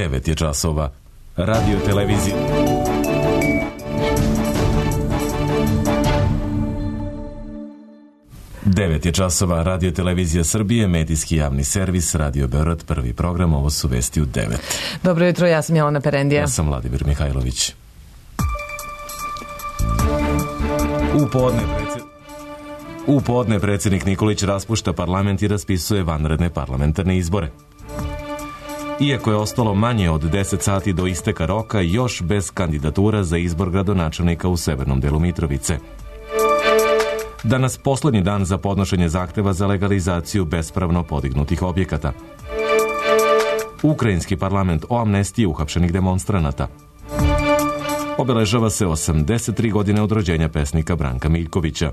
9 je časova. Radio televizija. Devet je časova. Radio televizija Srbije, medijski javni servis, Radio Beograd, prvi program. Ovo su vesti u 9. Dobro jutro, ja sam Jelena Perendija. Ja sam Vladimir Mihajlović. U podne predsjednik Nikolić raspušta parlament i raspisuje vanredne parlamentarne izbore. Iako je ostalo manje od 10 sati do isteka roka, još bez kandidatura za izbor gradonačelnika u severnom delu Mitrovice. Danas poslednji dan za podnošenje zahteva za legalizaciju bespravno podignutih objekata. Ukrajinski parlament o amnestiji uhapšenih demonstranata. Obeležava se 83 godine od rođenja pesnika Branka Miljkovića.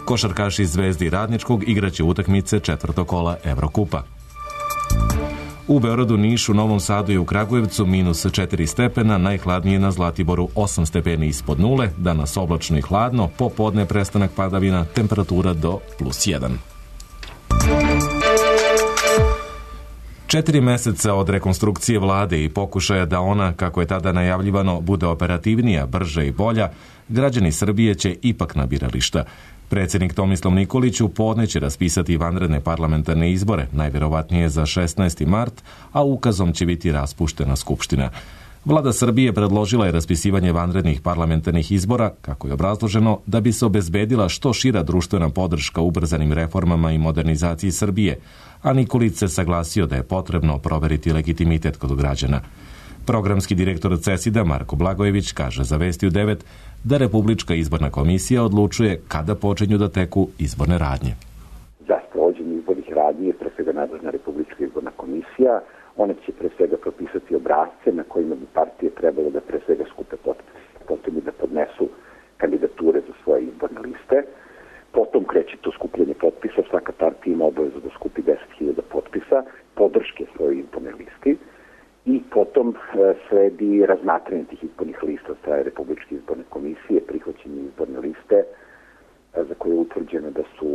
Košarkaši Zvezde i Radničkog igraće utakmice četvrtog kola Evrokupa. U Beogradu, Nišu, Novom Sadu i u Kragujevcu minus 4 stepena, najhladnije na Zlatiboru 8 stepeni ispod nule, danas oblačno i hladno, popodne prestanak padavina, temperatura do +1. 4 meseca od rekonstrukcije vlade i pokušaja da ona, kako je tada najavljivano, bude operativnija, brža i bolja, građani Srbije će ipak na birališta. Predsjednik Tomislav Nikolić u podne će raspisati vanredne parlamentarne izbore, najvjerovatnije za 16. mart, a ukazom će biti raspuštena Skupština. Vlada Srbije predložila je raspisivanje vanrednih parlamentarnih izbora, kako je obrazloženo, da bi se obezbedila što šira društvena podrška ubrzanim reformama i modernizaciji Srbije, a Nikolić se saglasio da je potrebno proveriti legitimitet kod građana. Programski direktor CESID-a Marko Blagojević kaže za Vesti u 9 da Republička izborna komisija odlučuje kada počinju da teku izborne radnje. Za sprovođenje izbornih radnji je pre svega nadležna Republička izborna komisija. Ona će pre svega propisati obrasce na kojima bi partije trebalo da pre svega skupe potpise, potom da podnesu kandidature za svoje izborne liste. Potom kreće to skupljanje potpisa, svaka partija ima obavezu da skupi 10.000 potpisa, podrške svoje izborne listi. I potom sledi razmatranje tih izbornih lista od strane Republičke izborne komisije, prihvaćenje izborne liste za koje je utvrđeno da su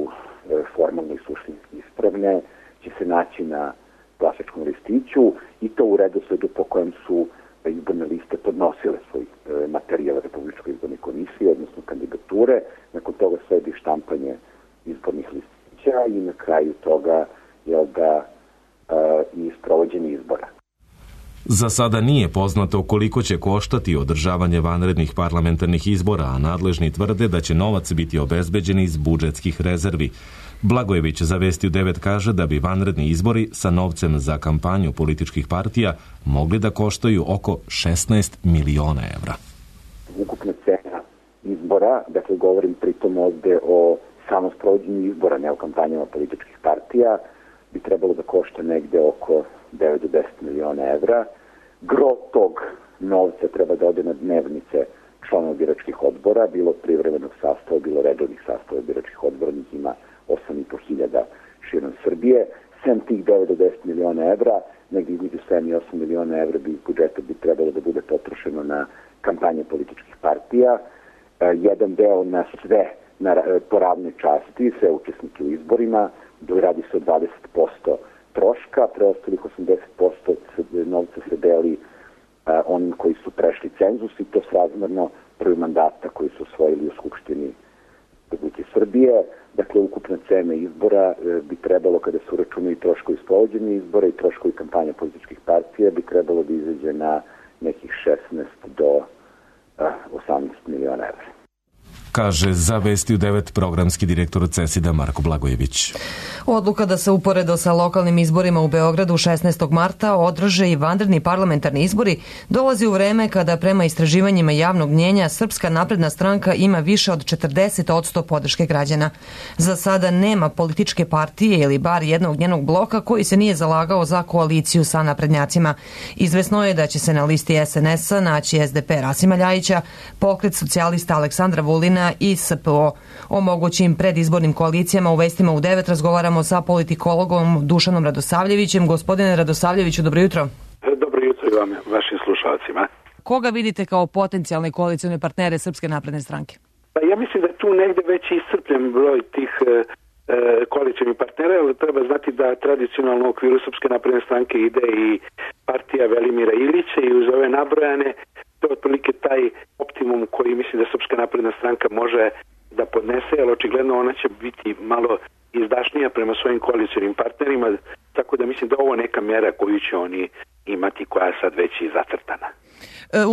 formalno i suštinski ispravne, će se naći na glasačkom listiću i to u redosledu po kojem su izborne liste podnosile svoj materijal Republičkoj izbornoj komisiji, odnosno kandidature. Nakon toga sledi štampanje izbornih listića i na kraju toga i sprovođenje izbora. Za sada nije poznato koliko će koštati održavanje vanrednih parlamentarnih izbora, a nadležni tvrde da će novac biti obezbeđen iz budžetskih rezervi. Blagojević za Vesti u 9 kaže da bi vanredni izbori sa novcem za kampanju političkih partija mogli da koštaju oko 16 miliona evra. Ukupna cena izbora, dakle govorim pritom ovde o samo sprovođenju izbora, ne o kampanjama političkih partija, bi trebalo da košta negde oko 9 do 10 miliona evra. Gro tog novca treba da ode na dnevnice članova biračkih odbora, bilo privremenog sastava, bilo redovnih sastava biračkih odbora, njih ima 8.500 širom Srbije. Sem tih 9 do 10 miliona evra, negdje između 7 i 8 miliona evra bi iz budžeta bi trebalo da bude potrošeno na kampanje političkih partija. Jedan deo na sve, po ravnoj časti, sve učesnike u izborima, radi se o 20% troška, preostalih 80% novca se deli onim koji su prešli cenzus i to srazmerno prvi mandata koji su osvojili u Skupštini Republike Srbije. Dakle, ukupna cena izbora bi trebalo, kada se uračunaju troškovi sprovođenja izbora i troškovi kampanja političkih partija, bi trebalo da izađe na nekih 16 do 18 miliona evra. Kaže za Vesti u 9 programski direktor CESID-a Marko Blagojević. Odluka da se uporedo sa lokalnim izborima u Beogradu 16. marta održe i vanredni parlamentarni izbori dolazi u vreme kada prema istraživanjima javnog mnjenja Srpska napredna stranka ima više od 40% podrške građana. Za sada nema političke partije ili bar jednog njenog bloka koji se nije zalagao za koaliciju sa naprednjacima. Izvesno je da će se na listi SNS-a naći SDP Rasima Ljajića, Pokret socijalista Aleksandra Vulina i SPO. O mogućim predizbornim koalicijama u Vestima u 9 razgovaramo sa politikologom Dušanom Radosavljevićem. Gospodine Radosavljeviću, dobro jutro. Dobro jutro i vam, vašim slušalcima. Koga vidite kao potencijalne koalicione partnere Srpske napredne stranke? Ja mislim da je tu negde već iscrpljen broj tih koalicijnih partnera, ali treba znati da tradicionalno u okviru Srpske napredne stranke ide i partija Velimira Ilića i uz ove nabrojane, to je otprilike taj optimum koji mislim da Srpska napredna stranka može da podnese, jer očigledno ona će biti malo izdašnija prema svojim koalicionim partnerima, tako da mislim da ovo neka mjera koju će oni imati, koja je sad već i zacrtana.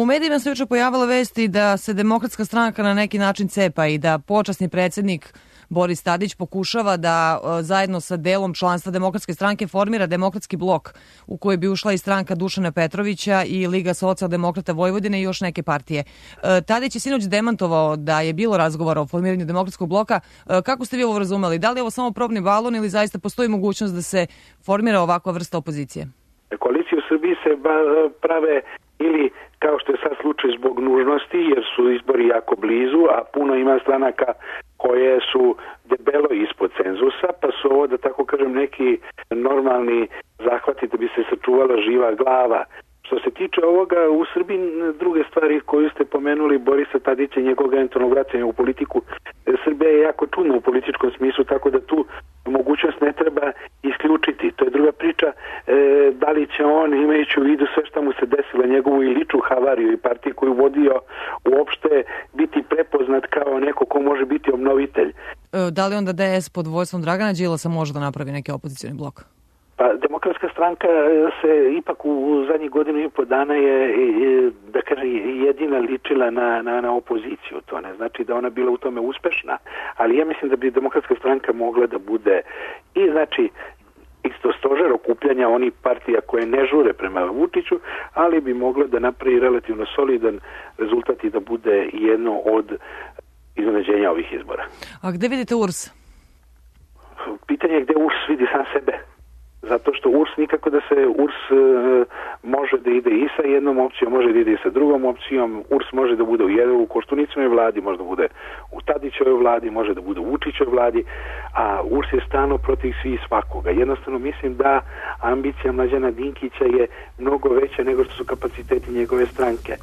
U medijima se juče pojavila vesti da se Demokratska stranka na neki način cepa i da počasni predsjednik Boris Tadić pokušava da zajedno sa delom članstva Demokratske stranke formira demokratski blok u koji bi ušla i stranka Dušana Petrovića i Liga socijaldemokrata Vojvodine i još neke partije. Tadić je sinoć demantovao da je bilo razgovora o formiranju demokratskog bloka. Kako ste vi ovo razumeli? Da li je ovo samo probni balon ili zaista postoji mogućnost da se formira ovakva vrsta opozicije? Koalicije u Srbiji se prave ili, kao što je sad slučaj, zbog nužnosti, jer su izbori jako blizu, a puno ima stranaka koje su debelo ispod cenzusa, pa su ovo, da tako kažem, neki normalni zahvati da bi se sačuvala živa glava. Što se tiče ovoga, u Srbiji druge stvari koju ste pomenuli, Borisa Tadića i njegovog eventualnog vraćanja u politiku, Srbija je jako čudna u političkom smislu, tako da tu mogućnost ne treba isključiti. To je druga priča, da li će on, imajući u vidu sve što mu se desilo, njegovu i ličnu havariju i partiju koju vodio, uopšte biti prepoznat kao neko ko može biti obnovitelj. Da li onda DS pod vojstvom Dragana Đilasa može da napravi neki opozicioni blok? Pa, Demokratska stranka se ipak u zadnjih godinu i po dana je, da kažem, jedina ličila na opoziciju. To ne znači da ona bila u tome uspešna, ali ja mislim da bi Demokratska stranka mogla da bude i, znači, isto stožer okupljanja onih partija koje ne žure prema Vučiću, ali bi mogla da napravi relativno solidan rezultat i da bude jedno od iznenađenja ovih izbora. A gde vidite URS? Pitanje je gde URS vidi sam sebe. Zato što URS nikako da se URS može da ide i sa jednom opcijom, može da ide i sa drugom opcijom. URS može da bude u Koštunicinoj vladi, može da bude u Tadićevoj vladi, može da bude u Vučićevoj vladi, a URS je stano protiv svih svakoga. Jednostavno mislim da ambicija Mlađana Dinkića je mnogo veća nego što su kapaciteti njegove stranke.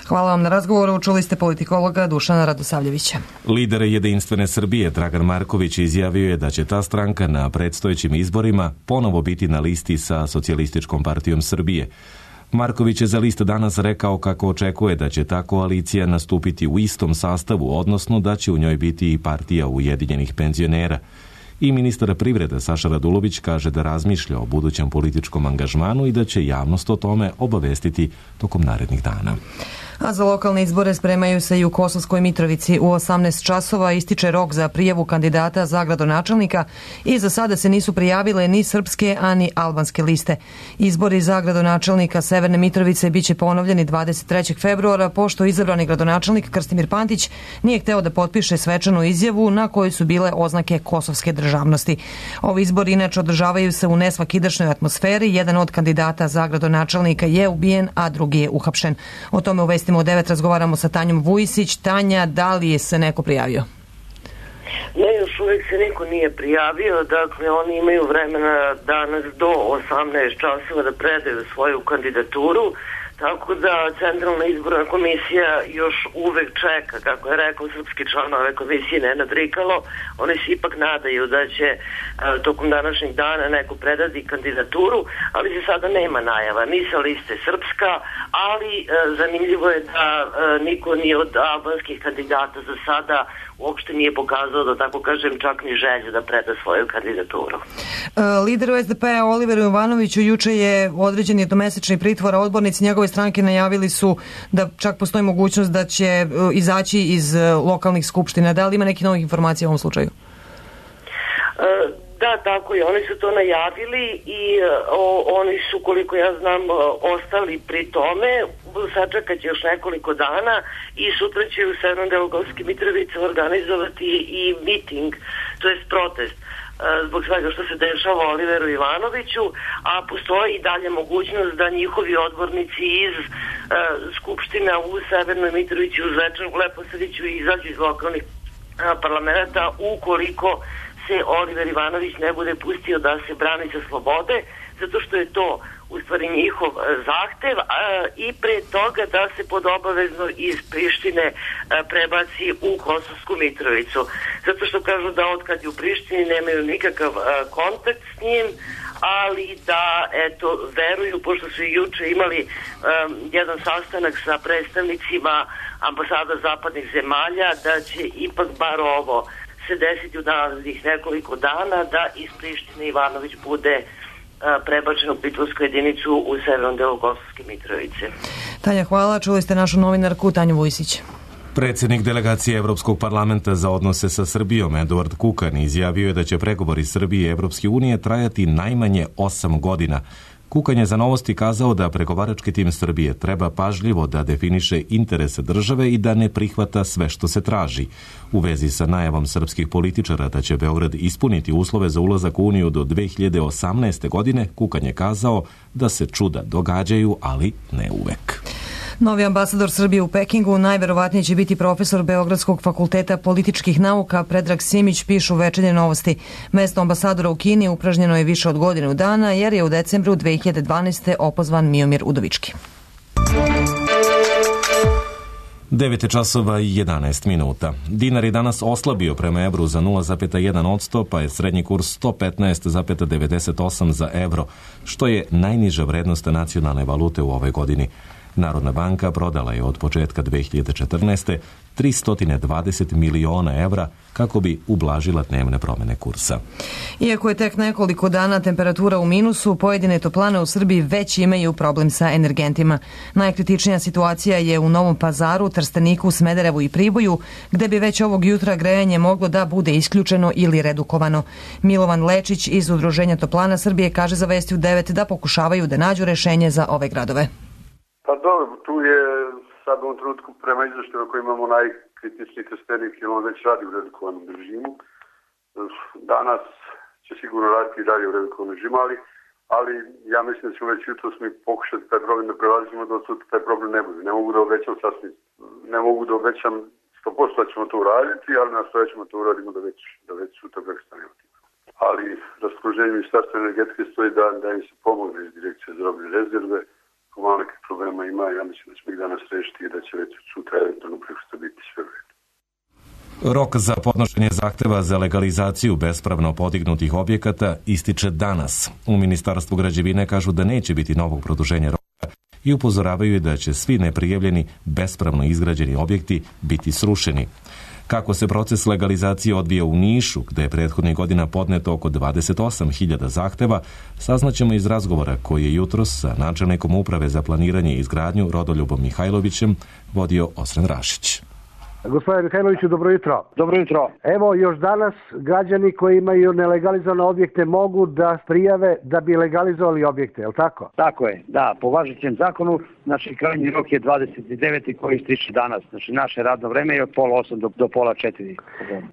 Hvala vam na razgovoru. Čuli ste politikologa Dušana Radosavljevića. Lider Jedinstvene Srbije Dragan Marković izjavio je da će ta stranka na predstojećim izborima ponovo biti na listi sa Socijalističkom partijom Srbije. Marković je za List danas rekao kako očekuje da će ta koalicija nastupiti u istom sastavu, odnosno da će u njoj biti i partija Ujedinjenih penzionera. I ministar privrede Saša Radulović kaže da razmišlja o budućem političkom angažmanu i da će javnost o tome obavestiti tokom narednih dana. A za lokalne izbore spremaju se i u Kosovskoj Mitrovici. U 18 časova ističe rok za prijavu kandidata za gradonačelnika i za sada se nisu prijavile ni srpske, a ni albanske liste. Izbori za gradonačelnika Severne Mitrovice biće ponovljeni 23. februara, pošto izabrani gradonačelnik Krstimir Pantić nije hteo da potpiše svečanu izjavu na kojoj su bile oznake kosovske državnosti. Ovi izbori inače održavaju se u nesvakidašnjoj atmosferi. Jedan od kandidata za gradonačelnika je ubijen, a drugi je uhapšen. O tome u Vestima u 9 razgovaramo sa Tanjom Vujisić. Tanja, da li je se neko prijavio? Ne, još uvijek se niko nije prijavio. Dakle, oni imaju vremena danas do 18 časova da predaju svoju kandidaturu. Tako da Centralna izborna komisija još uvek čeka, kako je rekao srpski član ove komisije Nenad Rikalo. Oni se ipak nadaju da će tokom današnjeg dana neko predati kandidaturu, ali se sada nema najava ni sa liste Srpska, ali zanimljivo je da niko ni od albanskih kandidata za sada uopšte nije pokazao, da tako kažem, čak ni želju da preda svoju kandidaturu. Lideru SDP-a Oliveru Jovanoviću juče je određen jednomesečni pritvor, a odbornici njegove stranke najavili su da čak postoji mogućnost da će izaći iz lokalnih skupština. Da li ima neki novih informacija u ovom slučaju? Da, tako je. Oni su to najavili i oni su, koliko ja znam, ostali pri tome. Sačekat će još nekoliko dana i sutra će u Severno-Delgovskoj Mitrovici organizovati i miting, to jest protest, zbog svega što se dešava Oliveru Ivanoviću, a postoji i dalje mogućnost da njihovi odbornici iz Skupština u Severnoj Mitrovici, u Zvečanu, u Leposaviću izađu iz lokalnih parlamenta ukoliko se Oliver Ivanović ne bude pustio da se brani sa slobode, zato što je to u stvari njihov zahtev, i pre toga da se pod obavezno iz Prištine prebaci u Kosovsku Mitrovicu. Zato što kažu da od kad je u Prištini nemaju nikakav kontakt s njim, ali da, veruju, pošto su i juče imali jedan sastanak sa predstavnicima ambasada zapadnih zemalja, da će ipak bar ovo se desiti u narednih nekoliko dana, da iz Prištine Ivanović bude prebačen u pritvorsku jedinicu u severnom delu Kosovske Mitrovice. Tanja, hvala. Čuli ste našu novinarku Tanju Vujsić. Predsjednik delegacije Evropskog parlamenta za odnose sa Srbijom, Eduard Kukan, izjavio je da će pregovori Srbije i Evropske unije trajati najmanje 8 godina. Kukan je za Novosti kazao da pregovarački tim Srbije treba pažljivo da definiše interese države i da ne prihvata sve što se traži. U vezi sa najavom srpskih političara da će Beograd ispuniti uslove za ulazak u Uniju do 2018. godine, Kukan je kazao da se čuda događaju, ali ne uvek. Novi ambasador Srbije u Pekingu najverovatnije će biti profesor Beogradskog fakulteta političkih nauka Predrag Simić, pišu Večernje Novosti. Mesto ambasadora u Kini upražnjeno je više od godinu dana jer je u decembru 2012. opozvan Miomir Udovički. 9:11. Dinar je danas oslabio prema evru za 0,1%, pa je srednji kurs 115,98 za evro, što je najniža vrednost nacionalne valute u ovoj godini. Narodna banka prodala je od početka 2014. 320 miliona evra kako bi ublažila dnevne promjene kursa. Iako je tek nekoliko dana temperatura u minusu, pojedine toplane u Srbiji već imaju problem sa energentima. Najkritičnija situacija je u Novom Pazaru, Trsteniku, Smederevu i Priboju, gde bi već ovog jutra grejanje moglo da bude isključeno ili redukovano. Milovan Lečić iz Udruženja toplana Srbije kaže za Vesti u 9 da pokušavaju da nađu rešenje za ove gradove. Pa dobro, tu je sad u ovom trenutku prema izveštaju koji imamo najkritičniji Trstenik i on već radi u redukovanom režimu. Danas će sigurno raditi i dalje u redukovanom režimu, ali ja mislim da ćemo već jutros mi pokušati taj problem da prelazimo da sutra taj problem ne bude. Ne mogu da obećam 100% da ćemo to uraditi, ali nastojat ćemo to uradimo da već sutra prestanemo. Ali raspoloženje Ministarstva energetike stoji da im se pomogne iz Direkcije za robne rezerve. Malo nekih problema ima, ja mislim da ćemo ih danas rešiti i da će već sutra eventualno prekosutra biti sve u redu. Rok za podnošenje zahteva za legalizaciju bespravno podignutih objekata ističe danas. U Ministarstvu građevine kažu da neće biti novog produženja roka i upozoravaju da će svi neprijavljeni bespravno izgrađeni objekti biti srušeni. Kako se proces legalizacije odvija u Nišu, gde je prethodnih godina podneto oko 28.000 zahteva, saznaćemo iz razgovora koji je jutros sa načelnikom Uprave za planiranje i izgradnju Rodoljubom Mihajlovićem vodio Osren Rašić. Gospodine Mihajloviću, dobro jutro. Dobro jutro. Evo, još danas građani koji imaju nelegalizovane objekte mogu da prijave da bi legalizovali objekte, je li tako? Tako je, da. Po važećem zakonu, znači krajnji rok je 29. koji ističe danas. Znači naše radno vreme je od 3:30 do 3:30.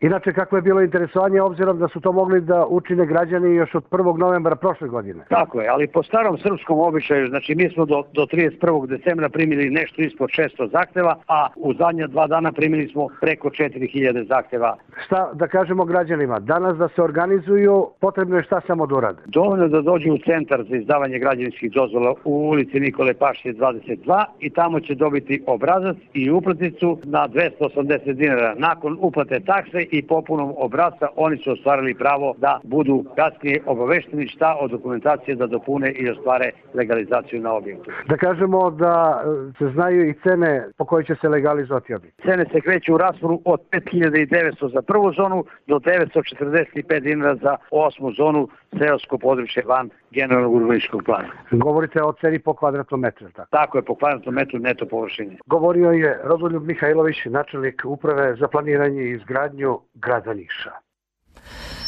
Inače, kako je bilo interesovanje, obzirom da su to mogli da učine građani još od 1. novembra prošle godine? Tako je, ali po starom srpskom običaju, znači mi smo do 31. decembra primili nešto ispod 600 zahteva, a u zadnja 2 dana primili smo preko 4000 zahteva. Šta da kažemo građanima? Danas da se organizuju, potrebno je šta samo da urade? Dovoljno da dođu u centar za izdavanje građevinskih dozvola u ulici Nikole Pašije 22 i tamo će dobiti obrazac i uplatnicu na 280 dinara. Nakon uplate takse i popunom obrasca oni su ostvarili pravo da budu kasnije obavešteni šta od dokumentacije da dopune i ostvare legalizaciju na objektu. Da kažemo da se znaju i cene po kojoj će se legalizovati objekt. Cene se kreću u rasponu od 5.900 za prvu zonu do 945 dinara za 8. zonu, seosko područje van generalnog urbanističkog plana. Govorite o ceni po kvadratnom metru, tako? Tako je, po kvadratnom metru neto površine. Govorio je Rodoljub Mihajlović, načelnik Uprave za planiranje i izgradnju grada Niša.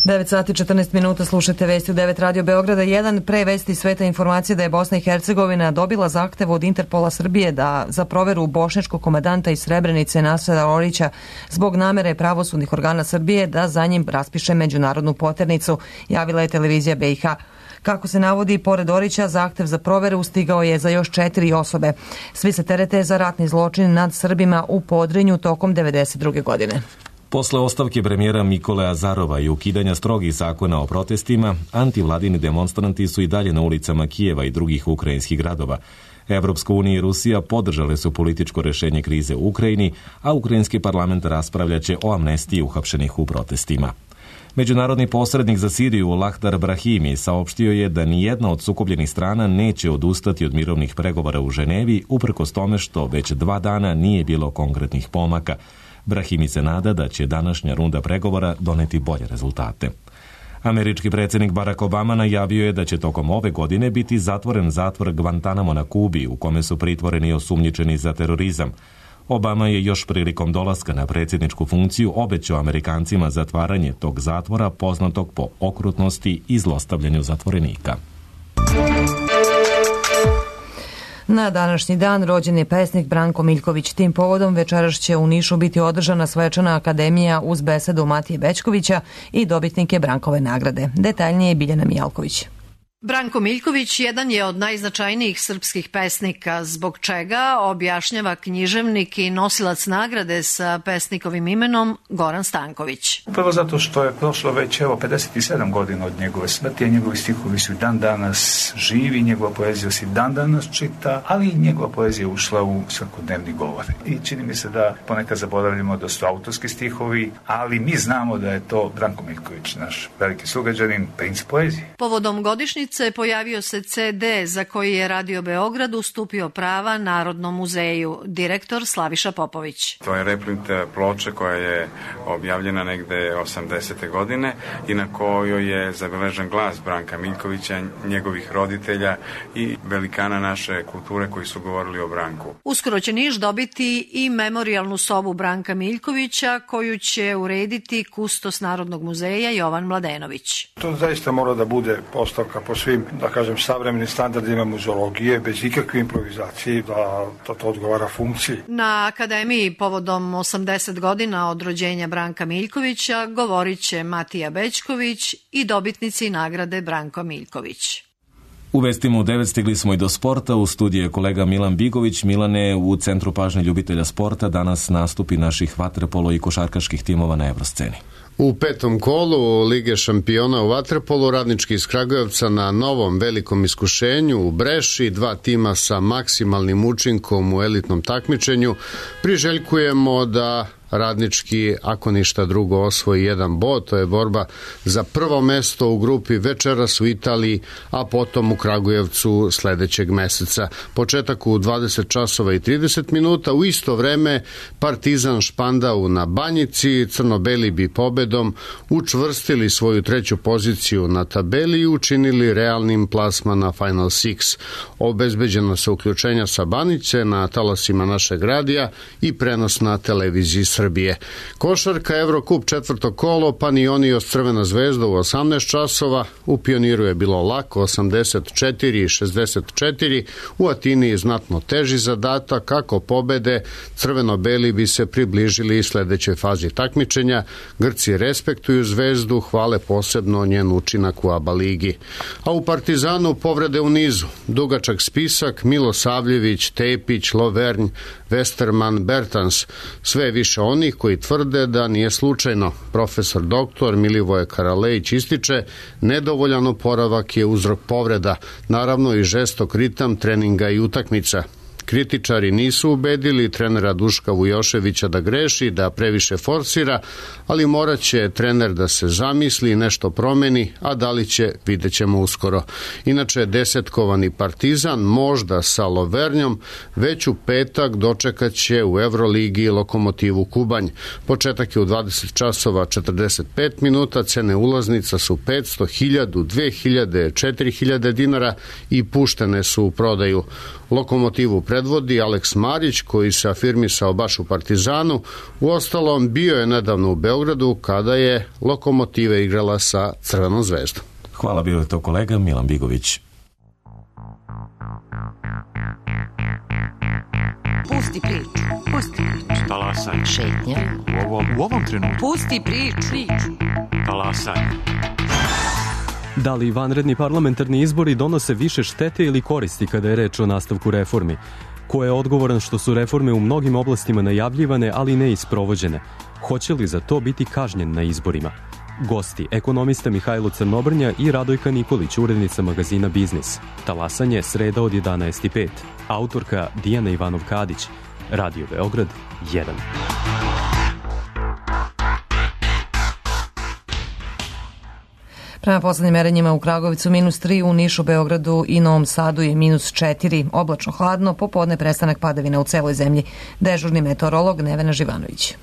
9:14, slušate Vesti u 9 Radio Beograda 1. Pre Vesti sveta informacije da je Bosna i Hercegovina dobila zahtev od Interpola Srbije za proveru bošnjačkog komandanta iz Srebrenice Nasera Orića zbog namere pravosudnih organa Srbije da za njim raspiše međunarodnu poternicu, javila je televizija BiH. Kako se navodi, pored Orića, zahtev za proveru stigao je za još 4 osobe. Svi se terete za ratni zločin nad Srbima u Podrinju tokom 1992. godine. Posle ostavke premijera Nikole Azarova i ukidanja strogih zakona o protestima, antivladini demonstranti su i dalje na ulicama Kijeva i drugih ukrajinskih gradova. Evropska unija i Rusija podržale su političko rešenje krize u Ukrajini, a ukrajinski parlament raspravljaće o amnestiji uhapšenih u protestima. Međunarodni posrednik za Siriju Lahdar Brahimi saopštio je da nijedna od sukobljenih strana neće odustati od mirovnih pregovora u Ženevi, uprkos tome što već 2 dana nije bilo konkretnih pomaka. Brahimi se nada da će današnja runda pregovora doneti bolje rezultate. Američki predsjednik Barack Obama najavio je da će tokom ove godine biti zatvoren zatvor Guantanamo na Kubi, u kome su pritvoreni osumnjičeni za terorizam. Obama je još prilikom dolaska na predsjedničku funkciju obećao Amerikancima zatvaranje tog zatvora, poznatog po okrutnosti i zlostavljanju zatvorenika. Na današnji dan rođen je pesnik Branko Miljković. Tim povodom večeras će u Nišu biti održana svečana akademija uz besedu Matije Bećkovića i dobitnike Brankove nagrade. Detaljnije je Biljana Mijalković. Branko Miljković jedan je od najznačajnijih srpskih pesnika, zbog čega objašnjava književnik i nosilac nagrade sa pesnikovim imenom Goran Stanković. Prvo zato što je prošlo već 57 godina od njegove smrti, a njegovi stihovi su dan danas živi, njegova poezija se dan danas čita, ali i njegova poezija ušla u svakodnevni govor. I čini mi se da ponekad zaboravljamo da su autorski stihovi, ali mi znamo da je to Branko Miljković, naš veliki sugrađanin, princ poezije. Povodom godišnjice pojavio se CD za koji je Radio Beograd ustupio prava Narodnom muzeju, direktor Slaviša Popović. To je reprint ploče koja je objavljena negde 80. godine i na kojoj je zabeležen glas Branka Miljkovića, njegovih roditelja i velikana naše kulture koji su govorili o Branku. Uskoro će Niš dobiti i memorijalnu sobu Branka Miljkovića koju će urediti kustos Narodnog muzeja Jovan Mladenović. To zaista mora da bude postavka po svim, da kažem, savremenim standardima muzeologije, bez ikakve improvizacije, da to odgovara funkciji. Na akademiji povodom 80 godina od rođenja Branka Miljkovića govorit će Matija Bećković i dobitnici nagrade Branko Miljković. U vestima u 9 stigli smo i do sporta. U studiju je kolega Milan Bigović. Milane, u centru pažnje ljubitelja sporta danas nastupi naših vaterpolo i košarkaških timova na evrosceni. U 5. kolu Lige šampiona u vaterpolu Radnički iz Kragujevca na novom velikom iskušenju u Breši, 2 tima sa maksimalnim učinkom u elitnom takmičenju. Priželjkujemo da Radnički, ako ništa drugo, osvoji 1 bod. To je borba za prvo mesto u grupi večeras u Italiji, a potom u Kragujevcu sledećeg meseca. Početak u 20 časova i 30 minuta. U isto vreme Partizan Špandau na Banjici. Crno-beli bi pobedom učvrstili svoju 3. poziciju na tabeli i učinili realnim plasman na Final Six. Obezbeđeno se uključenja sa Banjice na talasima našeg radija i prenos na televiziji Srbije. Košarka, Evrokup 4. kolo, Panionios Crvena zvezda u 18 časova. U Pioniru je bilo lako, 84-64. U Atini je znatno teži zadatak. Kako pobede, crveno-beli bi se približili sledećoj fazi takmičenja. Grci respektuju zvezdu, hvale posebno njen učinak u ABA ligi. A u Partizanu povrede u nizu. Dugačak spisak: Milosavljević, Tepić, Lovernj, Westerman, Bertans. Sve više onih koji tvrde da nije slučajno. Profesor doktor Milivoje Karalejić ističe, nedovoljan oporavak je uzrok povreda, naravno i žestok ritam treninga i utakmica. Kritičari nisu ubedili trenera Duška Vujoševića da greši, da previše forsira, ali morat će trener da se zamisli i nešto promeni, a da li će, vidjet ćemo uskoro. Inače, desetkovani Partizan, možda sa Lovernjom, već u petak dočekat će u Evroligi Lokomotivu Kubanj. Početak je u 20 časova 45 minuta, cene ulaznica su 500, 1000, 2000, 4000 dinara i puštene su u prodaju. Lokomotivu predvodi Aleks Marić, koji se afirmisao baš u Partizanu. Uostalom, bio je nedavno u Beogradu kada je Lokomotiva igrala sa Crvenom zvezdom. Hvala, bio je to kolega Milan Bigović. Pusti priču. Talasaj. Šetnja. U ovom trenutku. Pusti priču. Talasaj. Da li vanredni parlamentarni izbori donose više štete ili koristi kada je reč o nastavku reformi? Ko je odgovoran što su reforme u mnogim oblastima najavljivane, ali ne i sprovođene? Hoće li za to biti kažnjen na izborima? Gosti, ekonomista Mihajlo Crnobrnja i Radojka Nikolić, urednica magazina Biznis. Talasanje, sreda od 11:05. Autorka Dijana Ivanov-Kadić. Radio Beograd 1. Prema poslednjim merenjima u Kragovicu -3, u Nišu, Beogradu i Novom Sadu je -4. Oblačno hladno, popodne prestanak padavina u celoj zemlji. Dežurni meteorolog Nevena Živanović.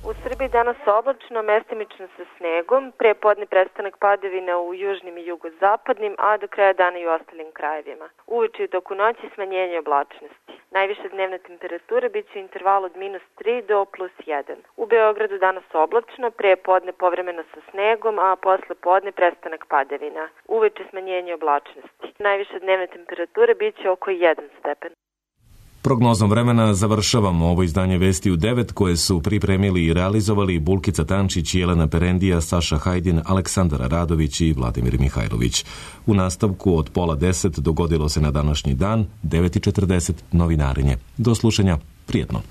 U Srbiji danas oblačno, mestimično sa snegom, pre podne prestanak padavina u južnim i jugozapadnim, a do kraja dana i u ostalim krajevima. Uveče i toku noći smanjenje oblačnosti. Najviša dnevna temperatura biće u intervalu od -3 do +1. U Beogradu danas oblačno, pre podne povremeno sa snegom, a posle podne prestanak padavina. Uveče smanjenje oblačnosti. Najviša dnevna temperatura biće oko 1 stepen. Prognozom vremena završavamo ovo izdanje Vesti u 9 koje su pripremili i realizovali Bulkica Tančić, Jelena Perendija, Saša Hajdin, Aleksandar Radović i Vladimir Mihajlović. U nastavku od 9:30 dogodilo se na današnji dan 9:40 novinarenje. Do slušanja, prijetno.